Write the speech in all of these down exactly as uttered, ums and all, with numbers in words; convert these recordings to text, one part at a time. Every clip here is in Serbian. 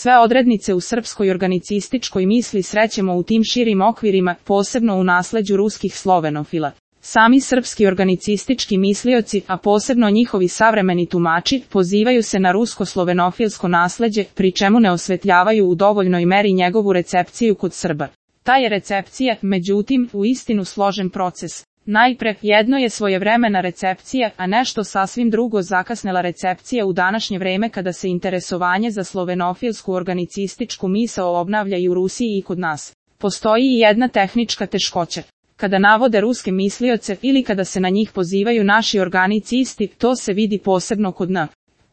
Sve odrednice u srpskoj organicističkoj misli srećemo u tim širim okvirima, posebno u nasleđu ruskih slovenofila. Sami srpski organicistički mislioci, a posebno njihovi savremeni tumači, pozivaju se na rusko-slovenofilsko nasleđe, pri čemu ne osvetljavaju u dovoljnoj meri njegovu recepciju kod Srba. Ta je recepcija, međutim, uistinu složen proces. Najpre, jedno je svojevremena recepcija, a nešto sasvim drugo zakasnela recepcija u današnje vreme kada se interesovanje za slovenofilsku organicističku misao obnavlja i u Rusiji i kod nas. Postoji i jedna tehnička teškoća. Kada navode ruske mislioce ili kada se na njih pozivaju naši organicisti, to se vidi posebno kod N.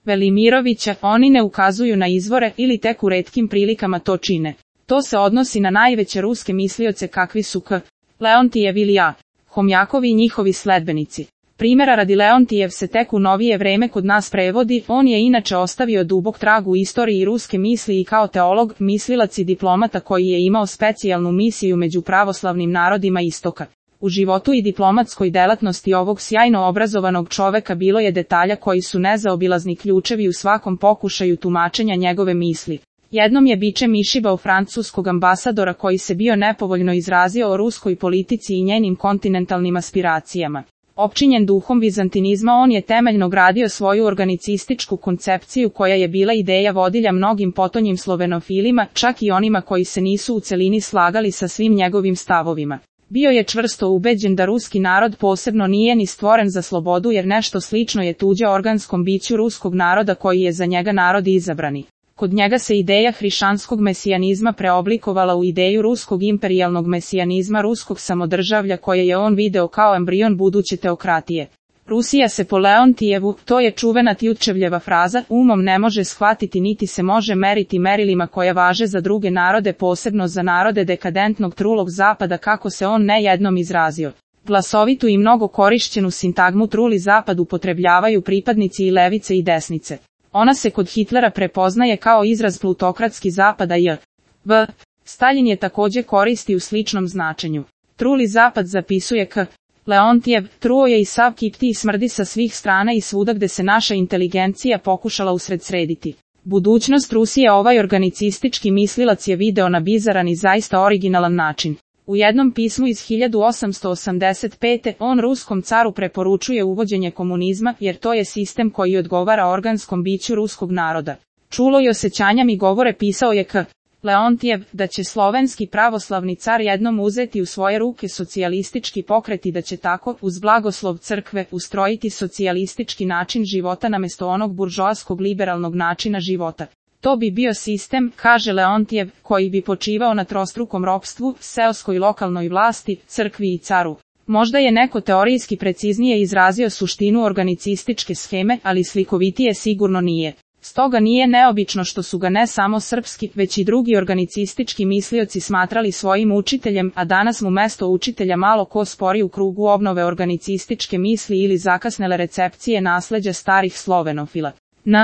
Velimirovića, oni ne ukazuju na izvore ili tek u retkim prilikama to čine. To se odnosi na najveće ruske mislioce kakvi su K. Leontijev ili A. Homjakov i njihovi sledbenici. Primjera radi, Leontijev se tek u novije vreme kod nas prevodi, on je inače ostavio dubok trag u istoriji ruske misli i kao teolog, mislilac i diplomata koji je imao specijalnu misiju među pravoslavnim narodima istoka. U životu i diplomatskoj delatnosti ovog sjajno obrazovanog čoveka bilo je detalja koji su nezaobilazni ključevi u svakom pokušaju tumačenja njegove misli. Jednom je bičem išibao francuskog ambasadora koji se bio nepovoljno izrazio o ruskoj politici i njenim kontinentalnim aspiracijama. Opčinjen duhom vizantinizma, on je temeljno gradio svoju organicističku koncepciju koja je bila ideja vodilja mnogim potonjim slovenofilima, čak i onima koji se nisu u celini slagali sa svim njegovim stavovima. Bio je čvrsto ubeđen da ruski narod posebno nije ni stvoren za slobodu, jer nešto slično je tuđe organskom biću ruskog naroda koji je za njega narod izabrani. Kod njega se ideja hrišćanskog mesijanizma preoblikovala u ideju ruskog imperijalnog mesijanizma, ruskog samodržavlja koje je on video kao embrion buduće teokratije. Rusija se po Leontijevu, to je čuvena Tjutčevljeva fraza, umom ne može shvatiti niti se može meriti merilima koja važe za druge narode, posebno za narode dekadentnog trulog zapada, kako se on ne jednom izrazio. Glasovitu i mnogo korišćenu sintagmu truli zapad upotrebljavaju pripadnici i levice i desnice. Ona se kod Hitlera prepoznaje kao izraz plutokratski zapada i v. Staljin je također koristi u sličnom značenju. Truli zapad zapisuje K. Leontijev, truo je i sav kipti i smrdi sa svih strana i svuda gde se naša inteligencija pokušala usred srediti. Budućnost Rusije ovaj organicistički mislilac je video na bizaran i zaista originalan način. U jednom pismu iz hiljadu osamsto osamdeset pete. on ruskom caru preporučuje uvođenje komunizma, jer to je sistem koji odgovara organskom biću ruskog naroda. Čulo i osjećanjam i govore pisao je K. Leontijev, da će slovenski pravoslavni car jednom uzeti u svoje ruke socijalistički pokret i da će tako, uz blagoslov crkve, ustrojiti socijalistički način života namesto onog buržoaskog liberalnog načina života. To bi bio sistem, kaže Leontijev, koji bi počivao na trostrukom ropstvu, seoskoj lokalnoj vlasti, crkvi i caru. Možda je neko teorijski preciznije izrazio suštinu organicističke scheme, ali slikovitije sigurno nije. Stoga nije neobično što su ga ne samo srpski, već i drugi organicistički mislioci smatrali svojim učiteljem, a danas mu mesto učitelja malo ko spori u krugu obnove organicističke misli ili zakasnele recepcije nasleđa starih slovenofila. N.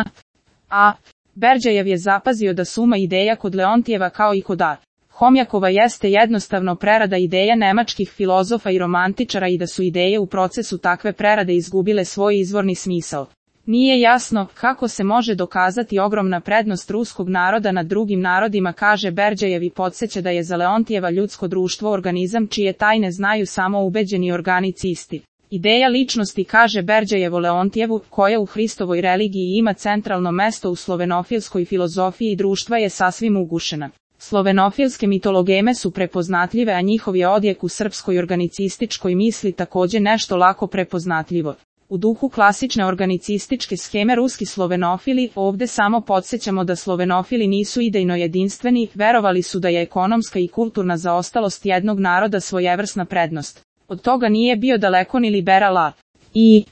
A. Berđajev je zapazio da suma ideja kod Leontijeva kao i kod A. Homjakova jeste jednostavno prerada ideja nemačkih filozofa i romantičara i da su ideje u procesu takve prerade izgubile svoj izvorni smisao. Nije jasno kako se može dokazati ogromna prednost ruskog naroda nad drugim narodima, kaže Berđajev i podsjeća da je za Leontijeva ljudsko društvo organizam čije tajne znaju samo ubeđeni organicisti. Ideja ličnosti, kaže Berđajevo Leontijevu, koja u Hristovoj religiji ima centralno mesto u slovenofilskoj filozofiji društva, je sasvim ugušena. Slovenofilske mitologeme su prepoznatljive, a njihov je odjek u srpskoj organicističkoj misli također nešto lako prepoznatljivo. U duhu klasične organicističke scheme ruski slovenofili, ovdje samo podsjećamo da slovenofili nisu idejno jedinstveni, verovali su da je ekonomska i kulturna zaostalost jednog naroda svojevrsna prednost. Od toga nije bio daleko ni liberal A. I.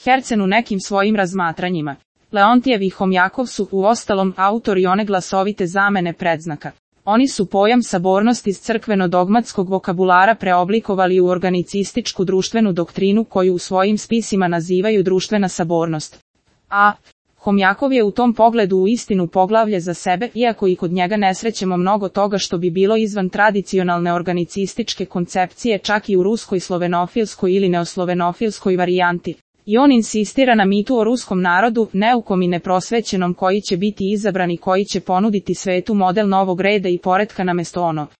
Hercen u nekim svojim razmatranjima. Leontijev i Homjakov su, uostalom, autori one glasovite zamene predznaka. Oni su pojam sabornost iz crkveno-dogmatskog vokabulara preoblikovali u organicističku društvenu doktrinu koju u svojim spisima nazivaju društvena sabornost. A. Homjakov je u tom pogledu uistinu poglavlje za sebe, iako i kod njega ne srećemo mnogo toga što bi bilo izvan tradicionalne organicističke koncepcije čak i u ruskoj slovenofilskoj ili neoslovenofilskoj varijanti. I on insistira na mitu o ruskom narodu, neukom i neprosvećenom koji će biti izabran i koji će ponuditi svetu model novog reda i poretka namesto onog